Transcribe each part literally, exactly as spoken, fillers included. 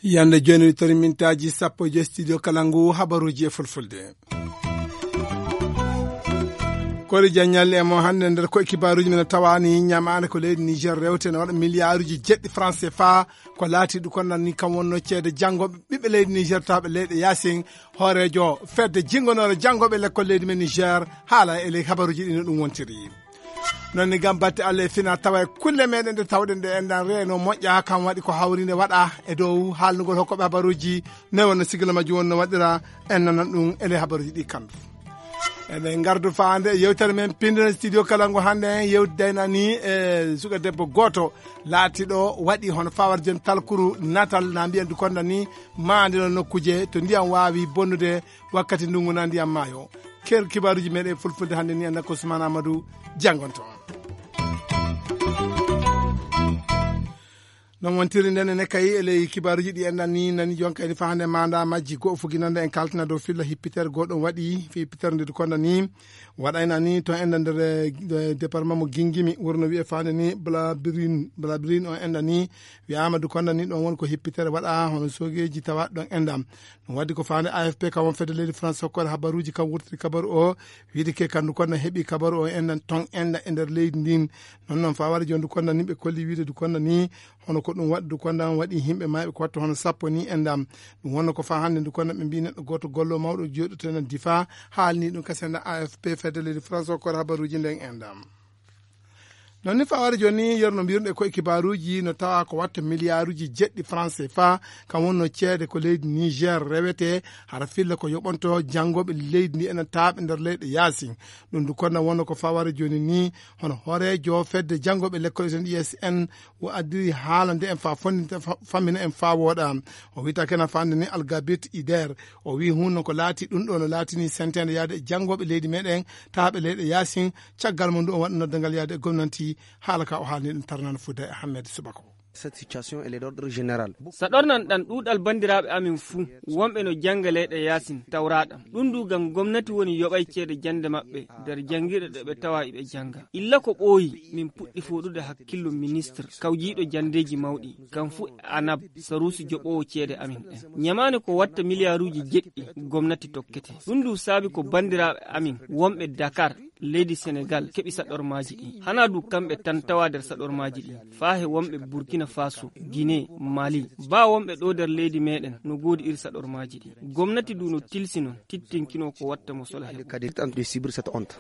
Yande jooni tori mintaaji sappo e joy studio kala ngu habaruuji e fulfulde. Kori jaññalli e mo hannde nder ko e kibaaruuji men tawaani ñamaande ko leydi Niger rewte no waɗa miliyaaruuji jeɗɗi franc C F A, ko laati ɗum kon nan ni kam wonno ceede janngo ɓiɓɓe leydi Niger tawɓe leyɗe yaasin. Hooreejo fedde jinngonoore janngooɓe lekkol leydi men Niger haala e ley habaruuji ɗi no ɗum wontiri. Noon ni gam batte Allah e fina tawa e kulle meɗen ɗe tawɗen ɗe enɗan reeno moƴƴa kam waɗi ko hawrinde waɗa e dow haalnugol hokkoɓe habaruuji ne wonno sigila majjum wonno waɗira en nanan ɗum e ley habaruuji ɗi kandu. Eɗen ngardu faande e yewtere men pindene studio kala ngo hannde en yewti daynani e suka debbo gooto laatiɗo waɗi hono fawar jon talkuru natal na mbiyen du konda ni maandino nokkuje to ndiyam waawi bonnude wakkati ndungu na ndiyam maayo. Ker kibaaruuji meɗen fulfulde hannde ni en nakko Ousmane Amadou janngonto on. Noon wontiri nden ene kayi e ley kibaaruuji ɗi enɗan ni nani jon kayni fa hannde manda majji goo fuginande en kaltina dow filla hippitere goo ɗon waɗi fi hippitere nde du konda ni waɗayna ni to enɗan nder eh, département mo gingimi wurno wiye fa hannde ni blabirin blabirin on enɗan ni wiyama du konda ni ɗon woni ko hippitere waɗa hono sogeji tawa ɗon enɗam. Ɗum waddi ko faande A F P kam won fedde leydi France hokkore habaruuji kam wurtiri kabaru o wiide ke kandu konda heɓi kabaru o enɗan ton enɗa e nder leydi ndin. Noon noon fa waɗa joni du konda ni ɓe kolli wiide du konda ni hono ko ɗum waɗi du konda waɗi yimɓe mayɓe ko watta hono sappo ni enɗam. Ɗum wonno ko fa hannde du konda ɓe mbi neɗɗo gooto gollo mawɗo jooɗoto enen difa haalni ɗum kasenda A F P fedde leydi France hokkore habaruuji nden enɗam. Noon ni faware jooni yerno mbirɗe koye kibaaruuji no tawa ko watta miliyaaruuji jeɗɗi franc C F A kam wonno ceede ko leydi Niger rewete hara filla ko yoɓonto janngooɓe leydi ndi ena taaɓe nder leyɗe yaasin. Ɗum du konno wonno ko faware jooni ni hono hooreejo fedde janngooɓe lekkol eten I S N o addiri haala nde en fa fondinte fa- fammina en fa wooɗa. O wiyta kena fande ni Algabit Ider o wi hunno ko laati ɗum ɗo no laatini senteende yaade e janngooɓe leydi meɗen taaɓe leyɗe yaasin. Caggal mo ndu o waɗa noddangal yaade e gomnanti haala ka o haalni ɗum tarnano fuuda e Ahmed Subako. Cette situation, elle est d'ordre général. Sa ɗornan ɗan ɗuuɗal banndiraaɓe amin fuu wonɓe no jannga leyɗe yaasin tawraaɗam ɗum du ngam gomnati woni yoɓay ceede jannde maɓɓe nder janngirɗe ɗe ɓe tawa iɓe jannga. Illa ko ɓooyi min puɗɗi fooɗude hakkillo ministre kawjiiɗo janndeeji mawɗi kam fuu anab saruusi joɓoowo ceede amin ɗen ñamaani ko watta miliyaaruuji jeɗɗi gomnati tokkete. Ɗum du saabi ko banndiraaɓe amin wonɓe Dakar leydi Senegal keɓi saɗormaaji ɗi. Hanaa du kamɓe tan tawa nder saɗormaaji ɗi. Faa he wonɓe Burkina Faso, Guinée, Mali. Baa wonɓe ɗo nder leydi meɗen no goodi iri saɗormaaji ɗi. Gomnati du no tilsi non tittinkino ko watta mo sola heɓo. Kadi tan de subir cette honte.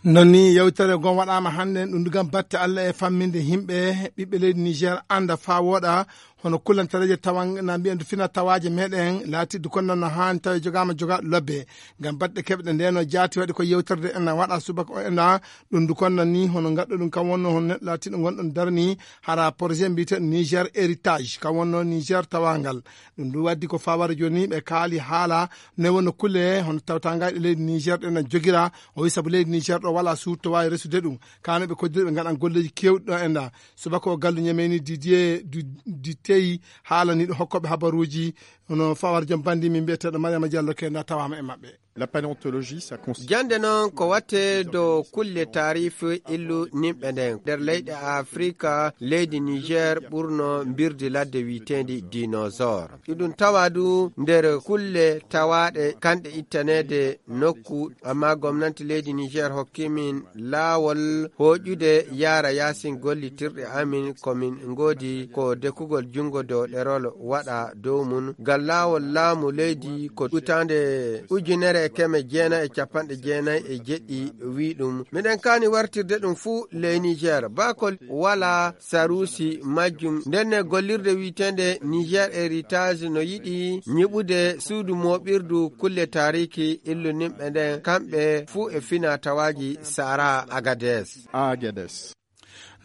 Non ni yewtere gon waɗaama hannde ɗum du gam batte Allah e famminde yimɓe ɓiɓɓe leydi Niger annda faa wooɗa hono kullantareeje tawan na mbiyen du fina tawaaje meɗen laatiddu kon non no haani tawi jogaama jogaaɗo lobbe. Ngam baɗɗe keɓɗe ndeno jaati waɗi ko yewtorde en na waɗa subaka o ena ɗum du kon non ni hono ngaɗɗo ɗum kam wonno hono neɗɗo laatiɗo gonɗon darni hara projet mbiyeteɗo Niger héritage kam wonno Niger tawangal. Ɗum du waddi ko fawara joni ɓe kaali haala ne wonno kulle hono tawtangaɗe leydi Niger ɗen na jogira o wi sabu leydi Niger ɗo wala suuto wawi resude ɗum kano ɓe koddiri ɓe ngaɗan golleji kewɗi ɗo enda. Subaka o gallo ñameni Didier du- Ditey haalaniɗo hokkoɓe habaruji hono fawar joom bandi min mbiyeteɗo Mariama Diallo kenda tawama e maɓɓe. La paléontologie, ça consiste jande noon ko watte dow kulle taarif illu nimɓe nden nder leyɗe Afrika leydi Niger ɓurno mbirdi ladde wiyetendi dinosaure. Iɗum tawa du nder kulle tawaɗe kanɗe ittanede nokku, amma gomnanti leydi Niger hokki min laawol hooƴude yaara yaasin gollitirɗe amin ko min ngoodi ko dekkugol junngo dow ɗerol waɗa dow mum. Ngal laawol laamu leydi ko utaande ujunere e keme jeenayi e capanɗe jeenayi e jeɗɗi wi ɗum. Miɗen kaani wartirde ɗum fuu ley Niger. Baa ko wala saruusi majjum. Ndenne gollirde wiyeteende Niger Heritage no yiɗi ñiɓude suudu mooɓirdu kulle taariki illuninɓe nden kamɓe fuu e fina tawaaji Sahara Agadez. Agadez.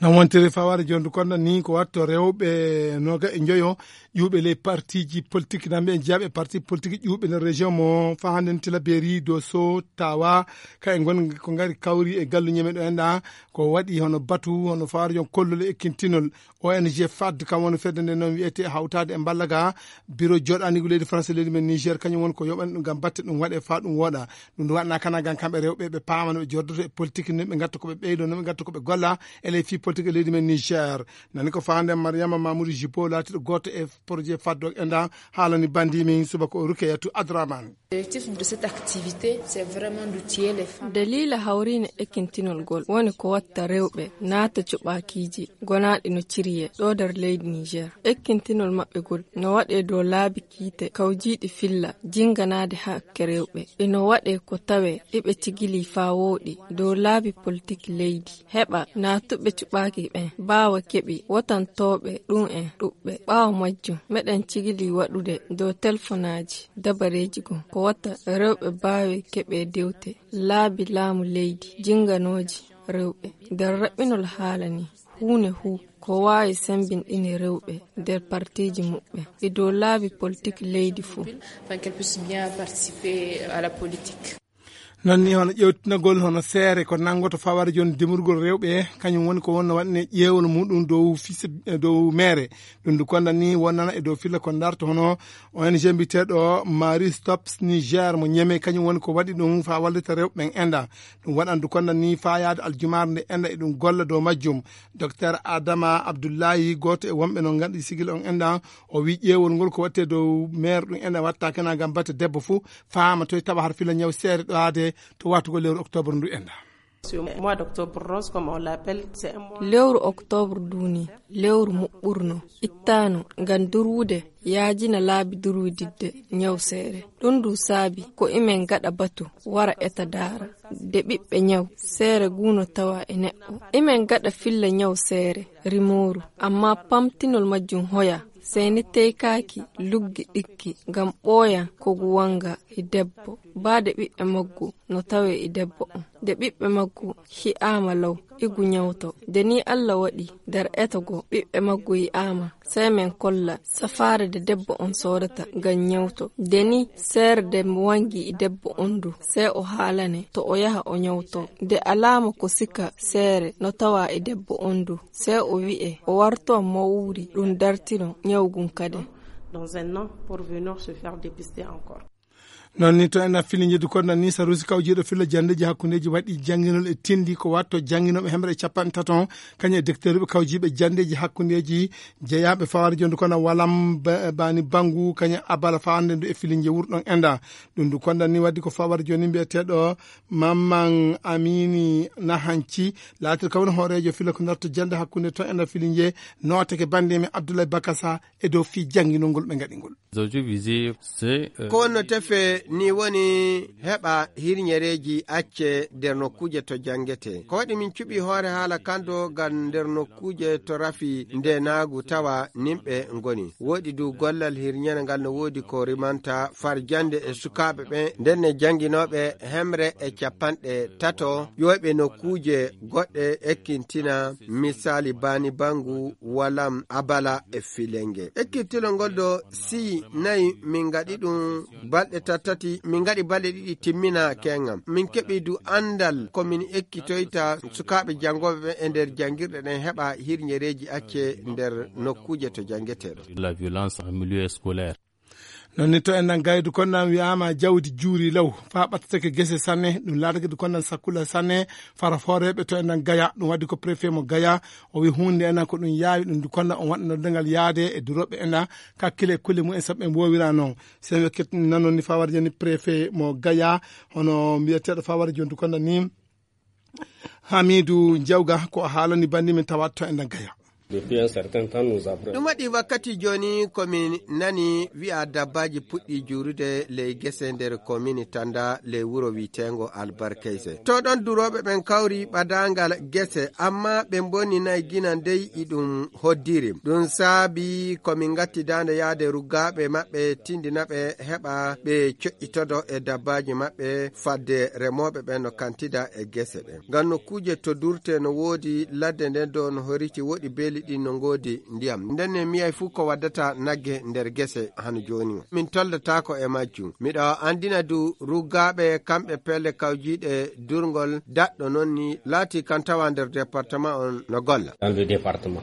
Tan wontiri fawaade jooni ko noon ni, ko waɗto rewɓe noogaɓe e njoyo ƴuuɓe ley partiiji politik, nan ɓe jeyaɓe parti politik ƴuuɓe nder région mo Fahanden, Tilaberi, Doso, Tawa, ka e ngon ko ngari kawri e galluuje men ɗo enɗa, ko waɗi hono batu, hono fawaade jooni kollol e ekkintinol. O N G fad, kam woni fedde nde noon wiyetee Hawtaade e Mballaga, biro jooɗaaniigu leydi France, leydi men Niger, kañum woni ko yoɓani ɗum ngam batte ɗum waɗe faa ɗum wooɗa. Ɗum ɗum waɗna kana ngam kamɓe rewɓe ɓe paama no ɓe jordoto e politik, no ɓe ngatta ko ɓe ɓeydo, no ɓe ngatta ko ɓe golla e ley fii politik e leydi men Niger. Nani ko faande Mariama Mamoudou Jibo, laatiiɗo gooto e projet faddo enɗa, haalani bandi min subaka o Rukeyatu Adraman. L'objectif de cette activité, c'est vraiment d'outiller les femmes. Daliila hawriine ekkintinol ngol woni ko watta rewɓe naata cuɓaakiiji gonaaɗi no ciriyee ɗo nder leydi Niger. Ekkintinol maɓɓe ngol no waɗee dow laabi kiite kawjiiɗi filla jinnganaade hakke rewɓe. Ino waɗee ko tawee iɓe cigilii faa wooɗi dow laabi politik leydi. Heɓa naatuɓe cuɓaaki ɓen mbaawa keɓi wotantooɓe ɗum en ɗuɓɓe. Ɓaawo majjum, meɗen cigilii waɗude dow telefonaaji dabareeji goo ko wata rewɓe mbaawi keɓee dewte laabi laamu leydi jinnganooji rewɓe. Nder raɓɓinol haala nii, huune huu ko waawi semmbinɗini rewɓe nder partiiji muɓɓen e dow laabi politik leydi fuu. Afin qu'elles puissent bien participer à la politique. Noon ni hono ƴeewtinagol hono seere ko nanngoto fawaade jooni demorgol rewɓe, kañum woni ko wonno waɗne ƴeewol muɗum dow fis-, dow meere. Ɗum ndu konda ni wonnana e dow filla ko darto hono O N G mbiyeteeɗo Marie Stops Niger mo Ñeme, kañum woni ko waɗi ɗum faa wallita rewɓe ɓen enɗa. Ɗum waɗan ndu konda ni faa yaade aljumaare nde enɗa e ɗum golla dow majjum. Docteur Adama Abdullahi, gooto e wonɓe no nganndi sigil on enɗa, o wii ƴeewol ngol ko waɗtee dow meere ɗum enɗa watta kena ngam batte debbo fuu, faama toy tawa har filla ñaw seere ɗo haade to wattugol lewru octobre ndu enɗa. Ce mois d'octobre rose, comme on l'appelle, c'est un mois. Lewru octobre duuni, lewru muɓɓurno, ittaano ngam durwude, yaajina laabi durwididde ñaw seere. Ɗum ndu saabi ko imen gaɗa batu wara eta daara de ɓiɓɓe ñaw seere guuno tawa e neɗɗo. Imen gaɗa filla ñaw seere rimooru, amma pamtinol majjum hoya. Sey ni teykaaki luggi ɗikki ngam ɓooyan ko ngu wanga e debbo. Baade ɓiɓɓe maggu no tawe e debbo on. De ɓiɓɓe maggu hi'aama law, igu ñawto. De ni Alla waɗi nder eto go ɓiɓɓe maggu yi'aama, sey men kolla safaare de debbo on soodata ngam ñawto. De ni seere de mo wangi e debbo on du, sey o haalane to o yaha o ñawto. De alaama ko sika seere no tawa e debbo on du, sey o wi'e o warto mawri ɗum dartino ñawgun kaden. Dans un an pour venir se faire dépister encore. Noon ni to en filiji ɗi konda ni, Sarusi kawjiiɗo filla janndeeji hakkundeeji waɗi jannginol e tindi ko watto jannginooɓe hemre e capanɗe tato, kañum e docteurɓe kawjiiɓe janndeeji hakkundeeji jeyaaɓe fawaade jooni kono walam ba-, bani banngu kañum abala fawande ndu e filiji wurɗon enda. Ɗum ndu konda ni waddi ko fawaade jooni mbiyeteeɗo Mamman Amini Nahanci, laatir kawno hooreejo filla ko darto jannde hakkunde to enda filiji, nooteke bannde men Abdoulaye Bakasa e dow fii jannginol ngol ɓe ngaɗi ngol. Aujourd'hui visé, c'est, euh, ko wonno tefe ni woni heɓa hirñereeji acce nder nokkuuje to janngetee. Ko waɗi min cuɓi hoore haala kanto ngam nder nokkuuje to rafi ndenaagu tawa nimɓe ngoni. Woodi du gollal hirñere ngal no woodi ko rimanta far jannde e sukaaɓe ɓen, nden ne jannginooɓe hemre e capanɗe tato ƴooyɓe nokkuuje goɗɗe ekkintina, misali bani bangu, walam, abala e filenge. Ekkittino ngol ɗo, si nayi min ngaɗi ɗum balɗe tattati, min ngaɗi balɗe ɗiɗi timmina kengam. Min keɓi du anndal ko min ekkitoyta sukaaɓe janngooɓe ɓen e nder janngirɗe ɗen heɓa hirñereeji acce nder nokkuuje to janngetee ɗo. La violence en milieu scolaire. Noon ni to en nan gaydu kon nan wi'aama jawdi juuri law faa ɓattatake gese sanne, ɗum laatake du kon nan sakkula sanne, fara fooreeɓe to en nan Gaya, ɗum waddi ko préfet mo Gaya, o wi huunde en nan ko ɗum yaawi ɗum du kon nan on waɗa noddangal yaade e durooɓe en nan kakkile e kulle mumen sabu ɓe woowira noon. Sen wekkit nanon ni faa wara jani préfet mo Gaya, hono mbiyeteeɗo faa wara joni du kon nan ni Hamidu Jawga ko o haalani bandi min tawa to en nan Gaya. Depuis un certain temps, nous avons ɗum waɗi wakkati jooni ko min nani wi'a dabbaaji puɗɗi juurude ley gese nder komini Tanda ley wuro wi'eteengo Albarkayse. To ɗon durooɓe ɓen kawri ɓadaangal gese, amma ɓe mbonninay gina ndey iɗum hoddiri. Ɗum saabi ko min ngatti daande yaade ruggaaɓe maɓɓe tindina ɓe heɓa ɓe coƴƴitodo e dabbaaji maɓɓe fadde remooɓe ɓen no kantida e gese ɗen. Ngam nokkuuje to durte no woodi ladde nden do no horiti woɗi beeli ɗin no ngoodi ndiyam. Nden ne miyay fuu ko waddata nagge nder gese hano jooni. Min toldataako e majjum. Miɗo andina du ruggaaɓe kamɓe pelle kawjiiɗe durngol daɗɗo non ni laati kan tawa nder département on no golla. Dans le département.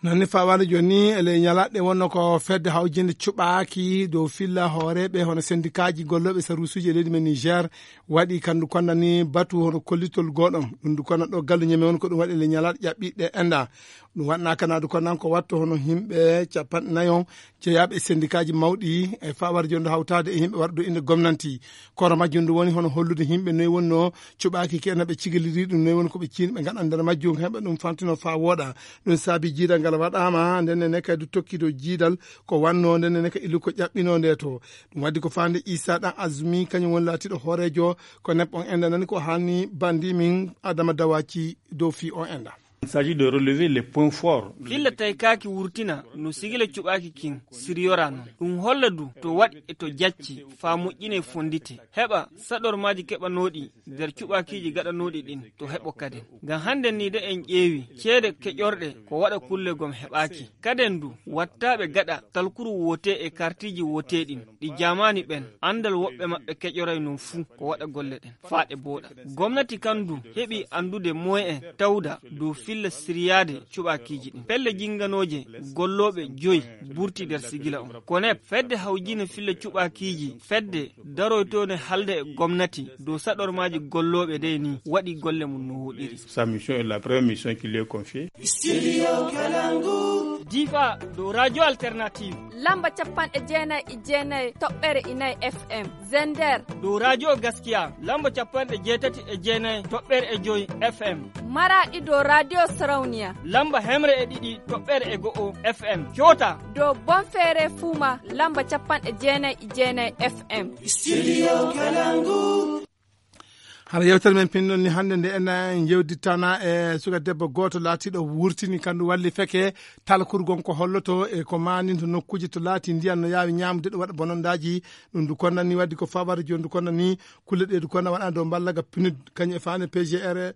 Non ni fawaade jooni ni, ele ñalaɗe wonno ko fedde hawjinde cuɓaaki dow filla hooreeɓe hono sendikaaji gollooɓe saruusuuji e leydi men Niger waɗi kandu konna ni batu hono kollitol gooɗon. Ɗum ndu konna ɗo gallu ñeme won ko ɗum waɗi ele ñalaɗe ƴaɓɓiɗe enda. Ɗum waɗnaaka na du konnan ko watto hono yimɓe capanɗe nayo jeyaaɓe e sendikaaji mawɗi e fawaade jooni hawtaade e yimɓe warɗo inde gomnanti. Kono majjum ndu woni hono hollude yimɓe noy wonno cuɓaaki ke no ɓe cigiliri ɗum, noy woni ko ɓe ciini ɓe ngaɗa nder majjum, heɓa ɗum fantino faa wooɗa. Ɗum saabi jiidal ngal waɗaama, nden ne kadi tokki dow jiidal ko wanno, nden ne ka ilu ko ƴaɓɓino nde to. Ɗum waddi ko faande Isa ɗan Azumi, kañum woni laatiiɗo hooreejo ko nep on enda nani ko haalni bandi min Adama Dawaci dow fii on enda. Il s'agit de relever les points forts. Filla taykaaki wurtina no sigila cuɓaaki kin siriyora non. Ɗum holla du to waɗi e to jacci faa moƴƴine fondite. Heɓa saɗormaaji keɓanooɗi nder cuɓaakiiji gaɗanooɗi ɗin to heɓo kaden. Ngam hannden ni de en ƴeewi ceede keƴorɗe ko waɗa kulle gom heɓaaki. Kaden du wattaaɓe gaɗa talkuru woote e kartiiji woote ɗin. Ɗi jaamaani ɓen, anndal woɓɓe maɓɓe keƴoray non fuu ko waɗa golle ɗen faa ɗe booɗa. Gomnati kan du heɓi anndude moyen tawda dow filla siryaade cuɓaakiiji ɗin. Pelle jinnganooje gollooɓe joyi burti nder sigila on. Konep, fedde hawjine filla cuɓaakiiji, fedde daroytoone halde e gomnati dow saɗormaaji gollooɓe dey ni waɗi golle mum no woɗiri. Sa mission est la première mission qui lui est confiée. Difa dow radio alternative. Lamba capanɗe jeenayi e jeenayi toɓɓere inayi F M. Zender. Dow radio Gaskiya lamba capanɗe jeetati e jeenayi toɓɓere e joyi F M. Maraɗi dow radio Sarauniya. Lamba hemre e ɗiɗi toɓɓere e go'o F M. Coota. Dow Bonfere Fuma lamba capanɗe jeenayi e jeenayi F M. Studio Kalangu. Hara yewtere men pinɗon ni hannde nde en, en yewdittana e suka debbo gooto laatiiɗo wurtini kandu walli feke talkurgon ko holloto e ko maaninto nokkuuje to laati ndiyan no yaawi ñaamude ɗo waɗa bonondaaji. Ɗum ndu konnani waddi ko fabare jooni ndu konnani kulle ɗe ndu konna waɗa dow mballaga pinud kañum e faane P G R,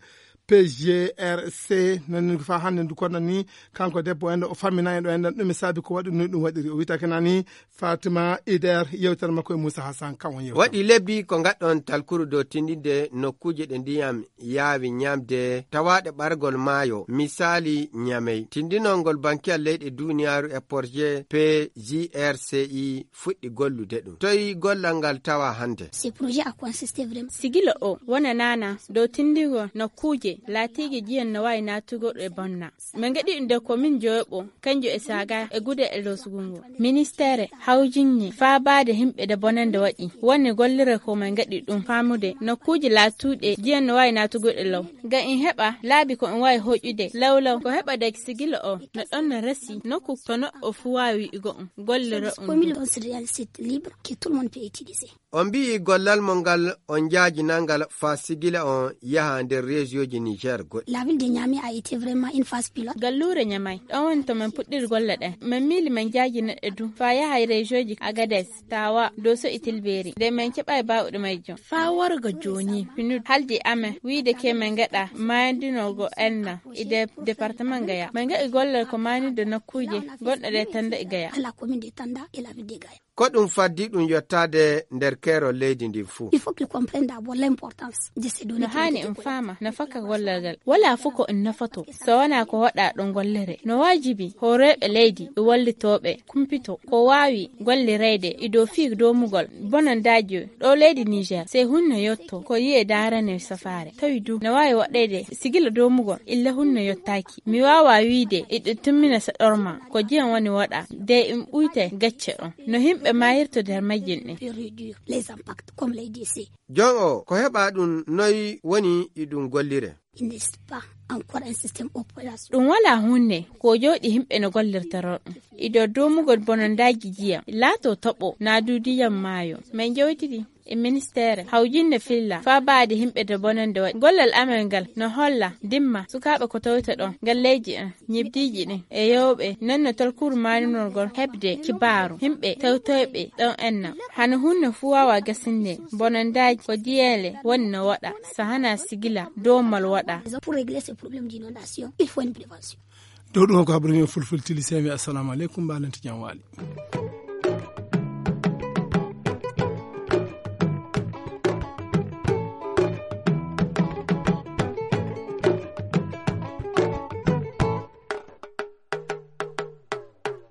P G R C nani ko fa hannde ndu konnani kanko debbo en o fammina en ɗo en ɗum e saabi ko waɗi no ɗum waɗiri o witake nani Fatima Ider yewtere makko e Moussa Hassan kan on yewtere. Waɗi lebbi ko ngaɗɗon talkuru dow tindinde nokkuuje ɗe ndiyam yaawi ñamde tawaaɗe ɓargol maayo, misaali Ñamey. Tindinol ngol Bankiyal Leyɗe Duuniyaaru e Porje P G R C I fuɗɗi gollude ɗum. Toy gollal ngal tawa hannde? Ce projet a consisté vraiment. Sigila o wona nana dow tindingol nokkuuje laatiige jiyan no waawi naatugol e bonna. Min ngaɗi ɗum nde ko min joyoɓo, kanjo e saga e gude e losgungo. Ministeere hawjinni faabaade yimɓe nde bonannde waɗi. Woni golliree ko min ngaɗi ɗum faamude nokkuuje laatuɗe jiyan no waawi naatugol e law. Ngam in heɓa laabi ko in waawi hoƴude lawlaw ko heɓa dagi sigila o no ɗon no resi nokku to neɗɗo fuu waawi wi'ugo ɗum gollira ɗum. Disponible dans ce réel site libre que tout le monde peut utiliser. On mbi'i gollal mon ngal on njaajinangal faa sigila on yaha nder reesiyooji Niger goɗɗi. La ville de Niamey a été vraiment une phase pilote. Galluure Ñamay ɗon woni to min puɗɗiri golle ɗen. Min miili min njaajina ɗe du faa yaha e reesiyooji Agades, Tawa, Doso e Tilberi. Nde min keɓaay baawɗo majjum. Faa warga jooni, pinud haldi amen wiide ke min ngaɗa maayandinoogo enna e de-, departement Gaya. Min ngaɗi gollal ko maaynude nokkuuje gonɗe ɗe tannde e Gaya. À la commune de Tanda et la ville de Gaya. Ko ɗum faddi ɗum yottaade nder keerol leydi ndin fuu. Il faut qu'ils comprennent d'abord l'importance de ces données. No haani en faama nafaka gollal ngal. Walaa fof ko en nafato so wonaa ko waɗaa ɗo gollere. No waajibi hooreeɓe leydi e wallitooɓe kumpito ko waawi gollireyde e dow fii doomugol bonandaaji ɗo leydi Niger. Sey hunno yotto ko yi'e daarane safaare. Tawi du no waawi waɗeyde sigila doomugol illa hunno yottaaki. Mi waawaa wiide iɗo timmina saɗorma ko jiyam woni waɗa de im ɓuyte gacce ɗon. No yimɓe maayirta nder majjin ɗin. Peut réduire les impacts, comme l'a dit ici. Jon o, ko heɓa ɗum noy woni e ɗum gollire? Il n'est pas Encore un système opération. Ɗum wala hunde ko jooɗi himɓe no gollirta ɗon. Ido domugol bonondaaji jiyam laato toɓo naa du diyam maayo. Min jowtidi e ministeere hawjinde filla faa baade himɓe de bonande waɗi gollal amen ngal no holla dimma sukaaɓe ko tawta ɗon galleeji en ñibdiiji ɗin e yewɓe non no tolkuru maaninorgol heɓde kibaaru himɓe tawtoyɓe ɗon enna. Hano hunde fuu waawa gasinde bonondaaji ko diyeele woni no waɗa so hana sigila domal waɗa. Pour régler ces problèmes d'inondation, il faut une prévention. Dow ɗum ko haɓre men fulfulde tili semi. Assalamu aleykum, mbaɗen to jam waali.